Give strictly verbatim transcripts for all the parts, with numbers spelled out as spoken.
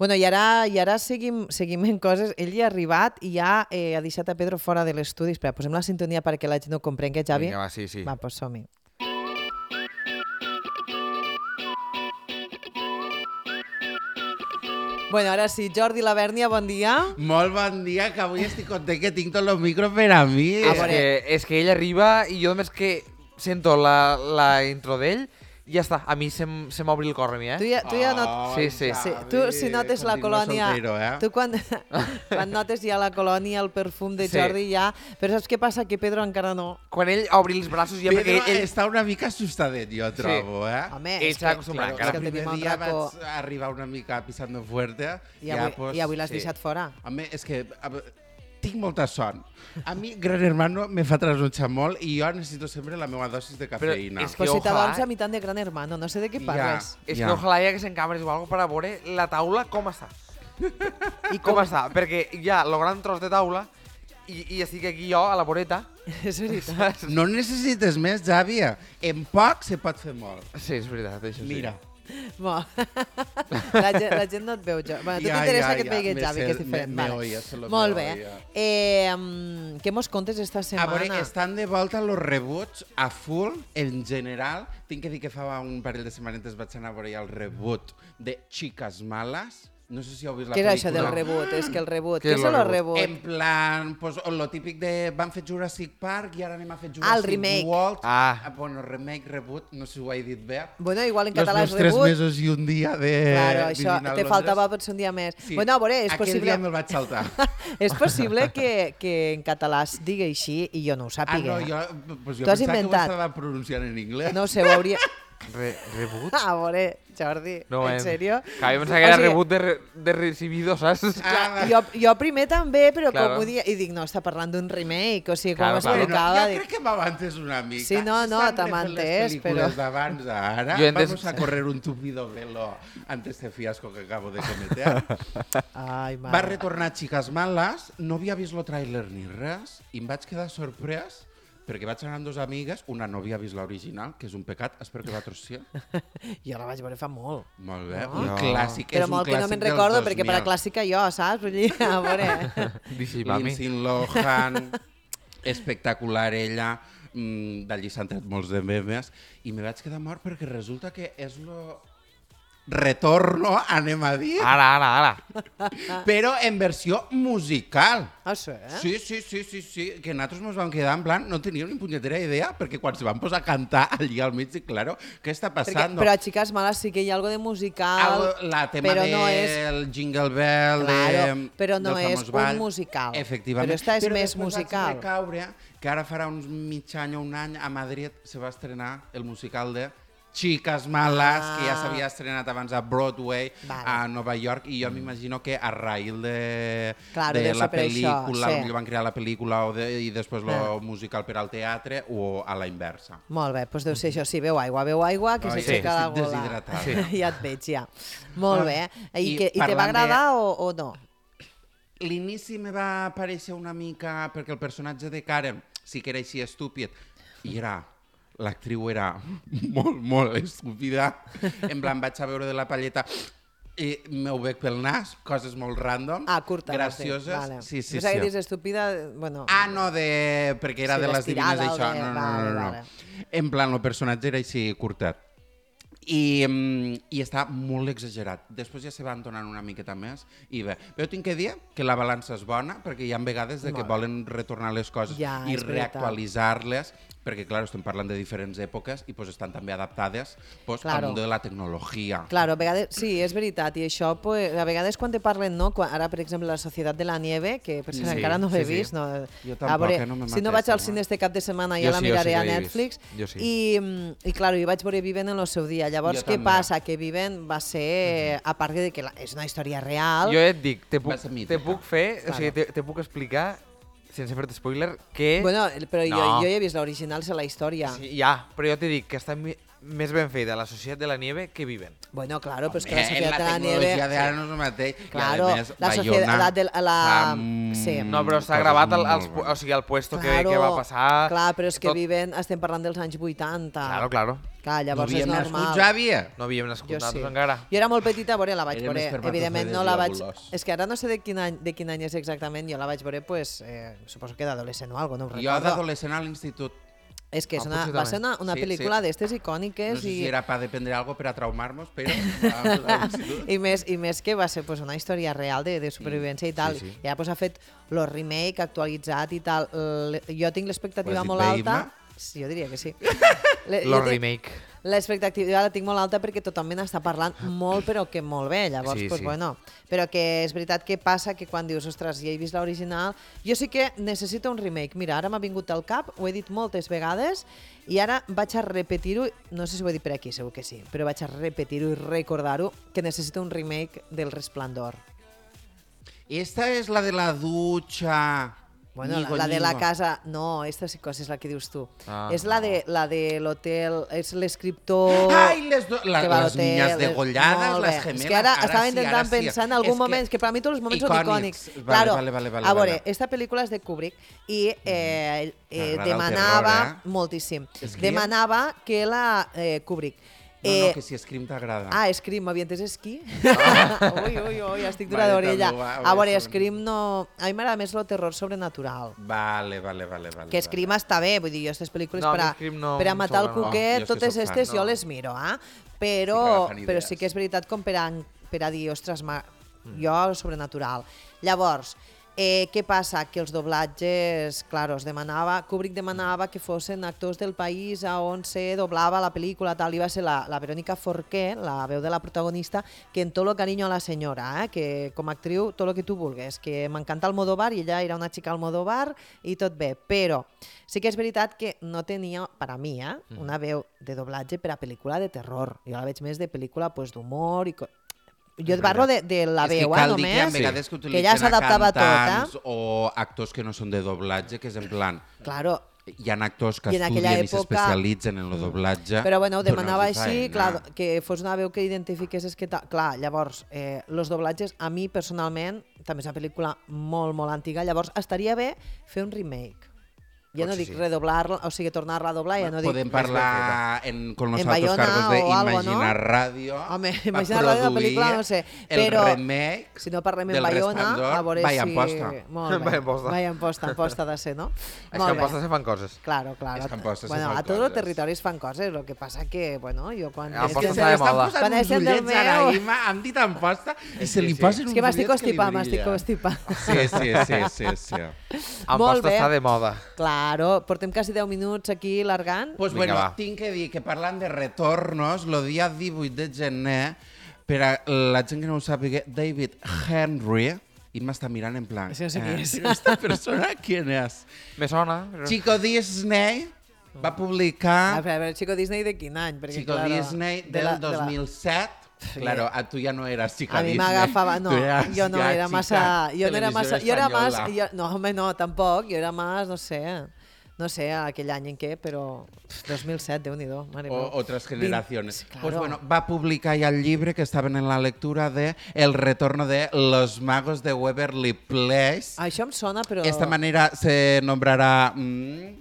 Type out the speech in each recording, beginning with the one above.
Bueno, i ara, i ara seguim, seguim en coses. Ell hi ha arribat i ja eh, ha deixat a Pedro fora de l'estudi. Espera, posem la sintonia perquè la gent ho comprengui, Javi. Vinga, va, sí, sí. Va, pues som-hi. Bueno, ara sí, Jordi Labèrnia, bon dia. Molt bon dia, que avui estic content que tinc tots els micros per a mi. És que, és que ell arriba i jo només que sento la, la intro d'ell i ja està, a mi se, se m'obri el cor a mi, eh? Tu ja, tu ja not... Sí, sí. sí. Tu, si notes la colònia... Soltero, eh? Tu quan, quan notes ja la colònia, el perfum de Sí. Jordi ja... Però saps què passa? Que Pedro encara no. Quan ell obri els braços ja Pedro perquè ell... està una mica assustadet, jo trobo, eh? Home, Ell és s'ha que, acostumbrat, és encara. que el tenim primer el dia racó... vaig arribar una mica pisando fuerte. I avui, pues, i avui l'has sí. deixat fora. Home, és que a, tinc molta son. A mi, Gran Hermano, me fa trasnotxar molt i jo necessito sempre la meva dosis de cafeïna. és Pues que si ojalà- t'adorms a mitad de Gran Hermano, no sé de què Ja. parles. És Ja. que ojalà hi haguessin càmeres o alguna cosa per a veure la taula com està. I Com està? Perquè hi ha el gran tros de taula i, i estic aquí jo, a la voreta. És veritat. No necessites més, Javi. En poc se pot fer molt. Sí, és veritat, això sí. Mira. Bo. La, gent, la gent no et veu, jo. Bueno, tu Ja, t'interessa ja, que et ja. vegi Me Javi, sé- que és diferent. me- me vale. oye, solo me Molt bé. oye. Eh, um, què mos contes esta A setmana? veure, estan de volta los rebuts a full, en general. Tinc que dir que fa un parell de setmanetes vaig anar a veure ja el rebut de Chicas Malas. No sé si heu vist la Què és pel·lícula. això del rebut? És que el rebut... Què Què és és el el rebut? rebut? En plan, pues, lo típic de... Van fer Jurassic Park i ara anem a fer Jurassic Ah, el remake. World. Ah. Bueno, remake, rebut, no sé si ho he dit bé. Bueno, igual en Los català és meus tres rebut. mesos i un dia de... Claro, això vivint a te Londres. faltava potser un dia més. Sí. Bueno, a veure, és Aquell possible... dia me'l vaig saltar. És possible que, que en català es digui així i jo no ho Ah, sàpiga. no, jo, pues jo Tu has pensava inventat. que ho estava pronunciant en anglès. No sé, ho hauria... Re, rebut? A veure, Jordi, No, en em- sèrio? Clar, jo pensava que era O sigui, rebut de, re, de recibido, saps? Ah, Jo, jo primer també, però Claro. com ho dia... I dic, no, està parlant d'un remake, o sigui, Claro, com claro. explicava... jo dic, crec que m'avances una mica. Sí, no, no, S'estan t'ha refent entès, les pel·lícules però- d'abans a ara. Jo he entès- Vamos a correr un tupido velo antes de fiasco que acabo de cometer. Ai, Va mare. retornar Chicas Malas, no havia vist el tràiler ni res, i em vaig quedar sorprès perquè vaig anar amb dues amigues, una no havia vist l'original, que és un pecat, espero que vosaltres sí. Jo la vaig veure fa molt. Molt bé, No. un Jo- clàssic, Però és un molt que no clàssic me'n dels recordo, dos perquè per a mil. clàssica jo, saps? Vull dir, a veure... Dici, mami. Lindsay Lohan, espectacular ella, mmm, d'allí s'han tret molts de memes, i me vaig quedar mort perquè resulta que és lo retorno, anem a dir, Ara, ara, ara. però en versió musical. Ah, sí, eh? Sí, sí, sí, sí, sí, que nosaltres ens vam quedar en plan, no teníem ni punyetera idea, perquè quan se van posar a cantar allí al mig, dic, claro, què està Perquè, passant? però a Chicas Malas sí que hi ha algo de musical, Algo- la tema però del no és... Jingle Bell, Claro, de, però no del és famós un ball. musical. Efectivament. Però esta és però més després musical. vaig recaure que ara farà uns mig any o un any a Madrid se va estrenar el musical de Chicas Malas, Ah. que ja s'havia estrenat abans a Broadway, Vale. a Nova York, i jo m'imagino que a raïl de, Claro, de deu la ser per això, pel·lícula, sí. potser van crear la pel·lícula o de, i després Ah. el musical per al teatre, o a la inversa. Molt bé, doncs deu ser això, sí, veu aigua, veu aigua, que Ai, s'aixeca sí, la estic gola. deshidratat. Sí. Ja et veig, ja. Molt bé. I, I que, i te va parlant de- agradar o, o no? L'inici me va parèixer una mica, perquè el personatge de Karen sí que era així estúpid, i era, l'actriu era molt, molt estúpida. En plan, vaig a veure de la palleta i m'ho veig pel nas, coses molt random, Ah, curta. vas dir, gracioses. Vale. Sí, sí, Pensava que sí. dius estúpida, bueno... Ah, no, de... perquè era Sí, de les l'estirada divines o això. de- No, no, vale, no, no, vale. no. En plan, el personatge era així curtet. I, mm, i està molt exagerat. Després ja se van donant una miqueta més i bé. Però tinc que dir que la balança és bona perquè hi ha vegades de que Molt bé. volen retornar les coses Ja, i és veritat. reactualitzar-les perquè, clar, estem parlant de diferents èpoques i pues, estan també adaptades pues, Claro. al món de la tecnologia. Claro, a vegades, sí, és veritat, i això, pues, a vegades quan te parlen, no? Quan, ara, per exemple, la Societat de la Nieve, que per cert Sí, encara no l'he sí, sí. vist, no? Jo A tampoc, veure, eh, no me si no mates, vaig al no. cine este cap de setmana, Jo ja la sí, jo miraré sí que a l'he Netflix. vist. Jo sí. I, mm, I, claro, jo vaig veure Viven en el seu dia. Llavors, Jo què també. passa? Que Viven va ser, a part de que la, és una història real, Jo et dic, te puc, Va ser mítica. te puc fer, o sigui, te, te puc explicar, sense fer-te spoiler, que... bueno, però jo, No. jo ja he vist l'original, és la història. Sí, ja, però jo t'he dit que està mi- més ben feta la Societat de la Nieve que Viven. Bueno, claro, però és que Home, la Societat de la la tecnologia Nieve... d'ara no és el mateix. Claro, I, a més, la Bayona societat de la- fa, sí. mm, No, però s'ha coses gravat el, molt als, bones. o sigui, el puesto que, Claro, que va passar... Clar, però és que tot- Viven, estem parlant dels anys vuitanta. Claro, claro. Clar, No llavors és havíem nascut, normal. Jàvia? No havíem nascut Jo sí. nosaltres encara. Jo era molt petita, a veure, la vaig Érem veure. espermatozoides Evidentment no la vaig... globulós. És que ara no sé de quin any, de quin any és exactament, jo la vaig veure, pues, eh, suposo que d'adolescent o alguna cosa, no ho Jo recordo. d'adolescent a l'institut. És que és Ah, una, potser va també. ser una, una Sí, pel·lícula sí. d'estes icòniques No sé i... si era per dependre algo per a traumar-nos, però a, a l'institut. I més, I més que va ser pues, una història real de, de supervivència i tal. sí. I ara pues, ha fet el remake actualitzat i tal. L jo tinc l'expectativa Ho has dit molt bé, alta. Imma? Sí, jo diria que sí. Le, Lo jo tinc- remake. L'expectativa la tinc molt alta perquè tothom me n'està parlant molt, però que molt bé. Llavors, Sí, pues, sí. bueno. Però que és veritat que passa que quan dius, ostres, ja he vist l'original, jo sí que necessito un remake. Mira, ara m'ha vingut al cap, ho he dit moltes vegades, i ara vaig a repetir-ho, no sé si ho he dit per aquí, segur que sí, però vaig a repetir-ho i recordar-ho, que necessito un remake del Resplendor. Esta és la de la dutxa. Bueno, Ñigo, la, la de la ñigo. casa... No, esta sí que és la que dius tu. Ah, és la de, la de l'hotel, és l'escriptor... Ai, les, do... la, que va a les l'hotel, niñas les- degollades, molt bé. les gemelas. És que ara, ara estava sí, intentant ara sí. pensar en algun És moment, que, que per a mi tots els moments són icònics. icònics. Vale, claro, vale, vale, vale, a veure, vale. esta pel·lícula és de Kubrick i eh, eh, T'agrada el demanava, terror, eh? moltíssim, Scream? demanava que la... Eh, Kubrick. No, Eh, no, que si Scream t'agrada. Ah, Scream, m'havia entès esquí? ui, ui, ui, estic dura Vale, d'orella. també ho va- ho A vaig veure, saber. Scream no... A mi m'agrada més el terror sobrenatural. Vale, vale, vale. vale Que Scream està bé, vull dir, jo aquestes pel·lícules No, per a, a mi Scream no per a em matar el sobra, no. cuquet, Jo és que totes soc fan, aquestes jo no. les miro, eh? Sí Però, que agafen però idees. sí que és veritat com per a, per a dir, ostres, ma, jo sobrenatural. Llavors, eh, què passa? Que els doblatges, claro, es demanava, Kubrick demanava que fossin actors del país a on se doblava la pel·lícula, tal, i va ser la, la Verónica Forqué, la veu de la protagonista, que en tot lo cariño a la senyora, eh? Que com a actriu, tot el que tu vulguis, que m'encanta Almodóvar i ella era una xica Almodóvar i tot bé, però sí que és veritat que no tenia, per a mi, eh, una veu de doblatge per a pel·lícula de terror. Jo la veig més de pel·lícula pues, d'humor i... co- Jo et parlo de, de la és que veu, eh, cal dir que hi ha només, vegades que que utilitzen ja s'adaptava a tot, cantants eh? o actors que no són de doblatge, que és en plan... Claro, Hi ha actors que I en aquella estudien i època- s'especialitzen en el doblatge. però bueno, ho demanava donar-los així, feina. clar, que fos una veu que identifiqués que... ta- Clar, llavors, eh, los doblatges, a mi personalment, també és una pel·lícula molt, molt antiga, llavors estaria bé fer un remake. Ja no Potser dic sí. redoblar-la, o sigui, tornar-la a doblar, ja no dic... Podem parlar en, con los En altos Bayona cargos de o algo, Imagina ¿no? Radio. Home, va Imagina Radio, la produir pel·lícula, no sé, el però remake si no parlem en del Bayona, Resplendor. a veure Vaya si... Amposta. Molt bé. Vaya Amposta. Vaya Amposta, Amposta de ser, no? És que Molt en bé. posta se fan coses. Claro, claro. És que a Amposta se bueno, fan a tots els coses. territoris fan coses, el que passa que, bueno, jo quan... A és Amposta que està de Estan moda. posant Quan uns és del ullets ara, meu- Ima, han dit Amposta i se li sí. posen És uns que m'estic ullets que li constipant, m'estic brillen. constipant. Sí, sí, sí, sí, sí. En Molt posta bé. està de moda. Claro, portem quasi deu minuts aquí largant. Pues Vinga, bueno, va. tinc que dir que parlant de retornos, el dia divuit de gener, per a la gent que no ho sàpiga, David Henry, i m'està mirant en plan... Això no sé qui és. Però esta persona, ¿quién es? Me sona. Però... Chico Disney va A publicar... veure, a veure, Chico Disney de quin any? Perquè, Chico claro, Disney de del la- de la- dos mil set. Sí. Claro, a tu ja no eras Chico A mi Disney. m'agafava, no, Tu eras jo no ja era chica massa, jo no era massa, televisió jo era más, espanyola. jo, no, home, no, tampoc, jo era más, no sé, no sé, aquell any en què, però pf, dos mil set, Déu-n'hi-do, mare O meva. otras generaciones. Vint- sí, Pues claro. bueno, va publicar ya el libro que estaban en la lectura de El retorno de Los magos de Waverly Place. Això em sona, però... Esta manera se nombrarà... Mm,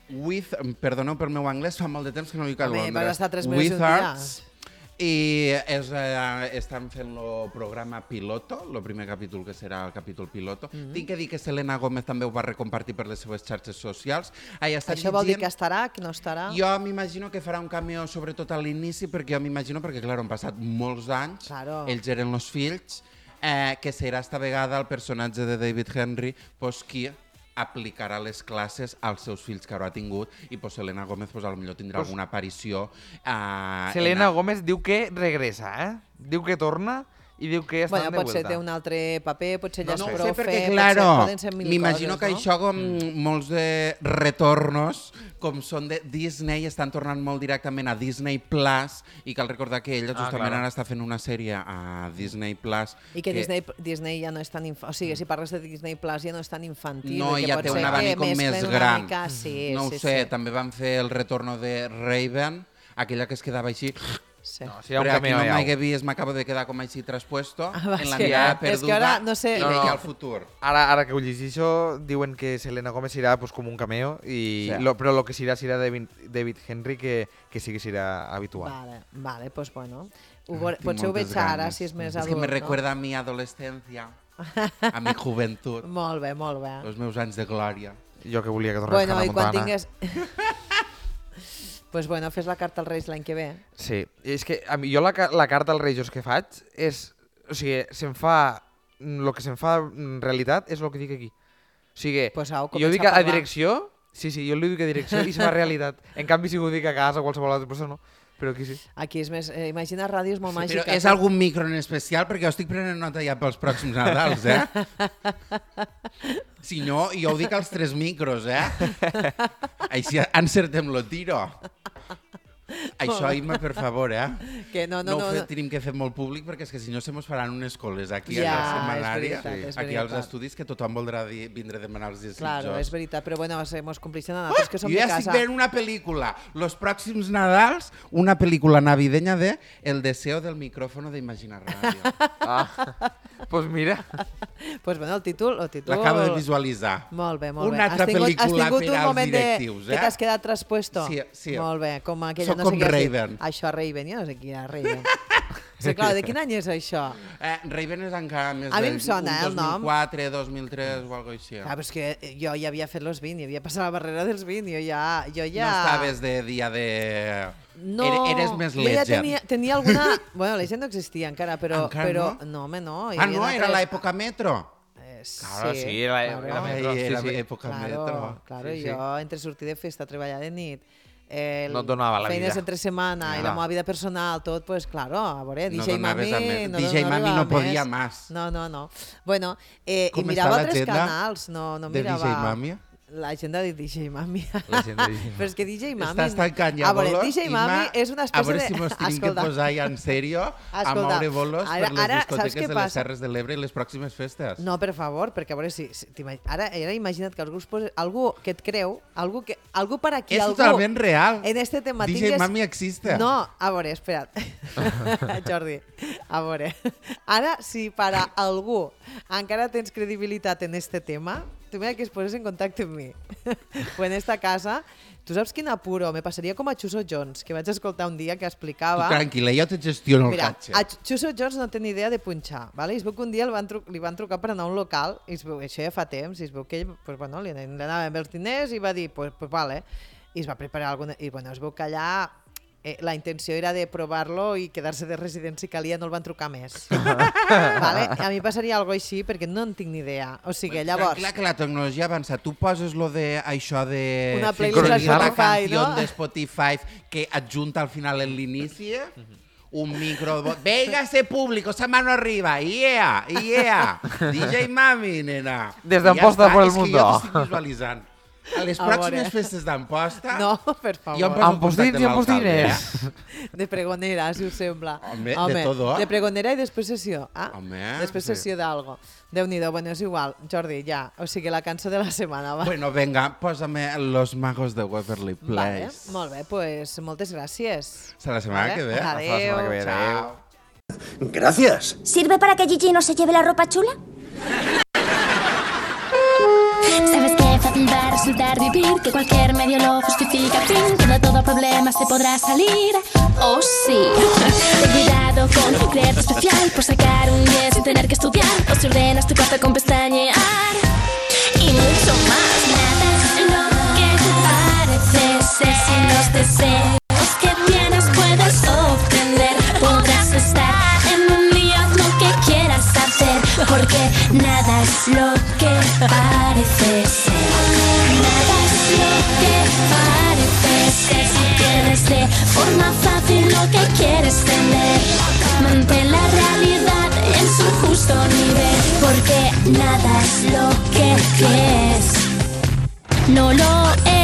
with, perdoneu per meu anglès, fa molt de temps que no hi cal Home, vas estar tres mesos un dia. Wizards. I és, eh, estan fent el programa piloto, el primer capítol que serà el capítol piloto. Mm -hmm. Tinc que dir que Selena Gómez també ho va recompartir per les seves xarxes socials. Ahí està Això vol dir llegint- que estarà, que no estarà? jo m'imagino que farà un cameo sobretot a l'inici, perquè jo m'imagino, perquè clar, han passat molts anys, Claro. ells eren els fills, eh, que serà esta vegada el personatge de David Henry, pues, qui aplicarà les classes als seus fills que ara ha tingut, i pues, Selena Gómez pues, potser tindrà Pues- alguna aparició. Eh, Selena en- Gómez diu que regressa, eh? Diu que torna i diu que estan Bueno, de potser vuelta. té un altre paper, potser ja No és ho profe, sé, perquè, potser claro, poden ser mil m'imagino coses, que no? això, com molts de retornos, com són de Disney, estan tornant molt directament a Disney Plus, i cal recordar que ella Ah, justament claro. ara està fent una sèrie a Disney Plus. I que, Disney, Disney ja no és tan... Inf... O sigui, si parles de Disney Plus ja no és tan infantil. No, i que ja pot té ser un que abanic com més fent una gran. Mica, sí, no ho sí, sé, sí. també van fer el retorno de Raven, aquella que es quedava així Sí. No, si hi ha un Però aquí cameo no allà. m'hagué vist, m'acabo de quedar com així traspuesto, Ah, va, en és la que- mirada és que perduda ara no sé- i No, veia no. el futur. Ara, ara que ho llegeixo, diuen que Selena Gomez serà pues, com un cameo, i Sí. lo, però el que serà serà David, David Henry, que, que sí que serà habitual. Vale, vale, pues bueno. Ho veure, Tinc potser ho veig moltes ara, ganes. si és més És adult, que me no? recuerda a mi adolescència, a mi joventut, Molt bé, molt bé. els meus anys de glòria. Jo que volia que tornés Bueno, Hannah i quan Montana. tingues... pues bueno, fes la carta als Reis l'any que ve. Sí, i és que a mi, jo la, ca- la carta als Reis que faig és... O sigui, se'm fa... El que se'm fa en realitat és el que dic aquí. O sigui, Pues au, jo comença dic a a, a parlar. direcció... Sí, sí, jo li dic a direcció i se fa realitat. En canvi, si ho dic a casa o qualsevol altra persona, no. Però aquí sí. Aquí és més... Eh, imagina ràdio és molt Però màgica. és algun micro en especial? Perquè jo estic prenent nota ja pels pròxims Nadals, eh? Si no, jo ho dic als tres micros, eh? Així encertem lo tiro. Això, Imma, per favor, eh? Que no, no, no, no, ho fe, no. tenim que fer molt públic perquè és que si no se mos faran unes coles aquí Ja, a la és setmanària, veritat, és aquí als veritat. estudis, que tothom voldrà dir, vindre a demanar els desitjos. Claro, és veritat, però bueno, se mos complixen a nosaltres, que som Jo de ja estic casa. veient una pel·lícula, los pròxims Nadals, una pel·lícula navideña de El deseo del micrófono de Imagina Radio. Ah, pues mira. Pues bueno, el títol... El títol... L'acabo de visualitzar. Molt bé, molt Una bé. altra has tingut, has pel·lícula tingut per un als moment directius, de, eh? que t'has quedat traspuesto. Sí, sí. Molt bé, com aquella... Soc no sé com què has dit. Raven. Això, Raven, jo no sé qui era Raven. Sí, clar, de quin any és això? Eh, Raven és encara més A mi del em sona, eh, el dos nom. mil quatre, dos mil tres o alguna cosa així. Ah, però és que jo ja havia fet los vint, i havia passat la barrera dels vint, jo ja... Jo ja... No estaves de dia de... No, Ere- eres més jo ja legend. tenia, tenia alguna... Bueno, Legend no existia encara, però... Encara però... no? No, home, no. hi Ah, havia no? Era altres- l'època metro? Eh, Claro, sí, la- claro. la Ai, metro, sí, era sí. època Claro, metro. claro, Sí, sí. jo entre sortir de festa, treballar de nit, el, No et donava la feines vida. entre setmana i Clar. la meva vida personal, tot, pues claro, a veure, No D J donaves Mami... a més. No, D J Mami arribava no a podia més. más. No, no, no. Bueno, eh, Com i mirava està altres l'agenda canals, no, no de mirava... D J Mami? L'agenda de D J Mami. La gent de D J Però és que D J Mami... Estàs tancant ja A veure, bolos? D J Mami Imma, és una a espècie veure de... si mos tenim que Escolta, posar ja en sèrio a Escolta, moure bolos ara- per les ara, saps discoteques què de passa? les Serres de l'Ebre i les pròximes festes. No, per favor, perquè a veure si... si t'imag- ara, ara imagina't que algú, es posa, algú que et creu, algú, que, algú per aquí, És algú... totalment real. En este tema D J tingues... Mami existe. No, a veure, espera't. Jordi, a veure. Ara, si per a algú encara tens credibilitat en este tema, tu mira que es poses en contacte amb mi. O en esta casa, tu saps quin apuro? Me passaria com a Chuso Jones, que vaig escoltar un dia que Tu explicava... tranquil·la, jo te gestiono el Mira, catxe. a Chuso Jones no té ni idea de punxar, ¿vale? I es veu que un dia el van tru li van trucar per anar a un local, i es veu, això ja fa temps, i es veu que ell, pues, bueno, li anaven els diners i va dir, pues, pues vale, i es va preparar alguna... I bueno, es veu que allà eh, la intenció era de provar-lo i quedar-se de resident si calia, no el van trucar més. Vale? A mi passaria alguna així perquè no en tinc ni idea. O sigui, llavors... Tranquil·la, que la tecnologia avança. Tu poses lo de això de... Una playlist a sincronizar la Spotify, canció no? de Spotify que adjunta al final en l'inici, un micro... Véngase público, esa mano arriba, yeah, yeah, D J Mami, nena. Des I d'Amposta està, por el és que mundo. jo t'estic visualitzant. A les A pròximes veure. festes d'Amposta... No, per favor. Jo em poso en Ampostins contacte i amb l'alcalde, ampostines. eh? De pregonera, si us sembla. Home, de todo. De pregonera i després sessió. Ah, Home, després sí. sessió d'algo. Déu-n'hi-do, bueno, és igual. Jordi, ja. O sigui, la cançó de la setmana, va. Bueno, venga, pósame Los Magos de Waverly Vale, Place. molt bé, pues moltes gràcies. Hasta la semana Vale, que ve. Hasta la semana que ve. Chao. Gracias. ¿Sirve para que Gigi no se lleve la ropa chula? Sabes que fácil va a resultar vivir, que cualquier medio lo justifica, fin, que de todo problema se podrá salir. Oh sí, ten cuidado con creerte especial por sacar un diez sin tener que estudiar, o si ordenas tu cuarto con pestañear y mucho más. Nada es lo que parece ser sin los deseos que tienes puedes obtener. Podrás estar en un lío lo que quieras hacer, porque nada es lo que parece ser. Nada es lo que parece ser. Si tienes de forma fácil lo que quieres tener, mantén la realidad en su justo nivel, porque nada es lo que crees. No lo es.